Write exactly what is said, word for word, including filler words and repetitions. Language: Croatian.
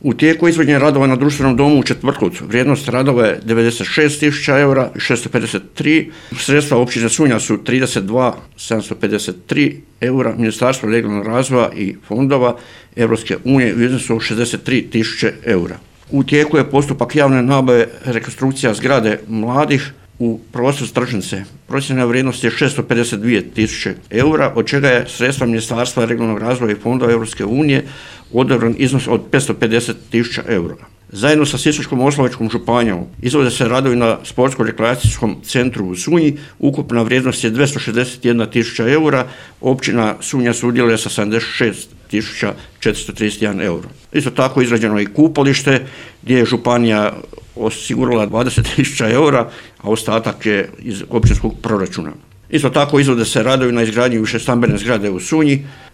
U tijeku izvođenja radova na društvenom domu u Četvrtkovcu. Vrijednost radova je devedeset šest tisuća eura i šesto pedeset tri. Sredstva općine Sunja su trideset dva tisuće sedamsto pedeset tri eura. Ministarstvo regionalnog razvoja i fondova Europske unije u iznosu od šezdeset tri tisuće eura. U tijeku je postupak javne nabave rekonstrukcija zgrade mladih u prostoru Stržnice. Procjena vrijednosti je šesto pedeset dvije tisuće eura, od čega je sredstva Ministarstva regionalnog razvoja i fondova Europske unije odobren iznos od petsto pedeset tisuća eura. Zajedno sa Sisačko-moslavačkom županijom izvode se radovi na sportsko-rekreacijskom centru u Sunji. Ukupna vrijednost je dvjesto šezdeset jedna tisuća eura. Općina Sunja sudjeluje sa sedamdeset šest tisuća četiristo trideset jedan euro. Isto tako izrađeno je i kupalište gdje je županija osigurala dvadeset tisuća eura, a ostatak je iz općinskog proračuna. Isto tako izvode se radovi na izgradnji višestambene zgrade u Sunji.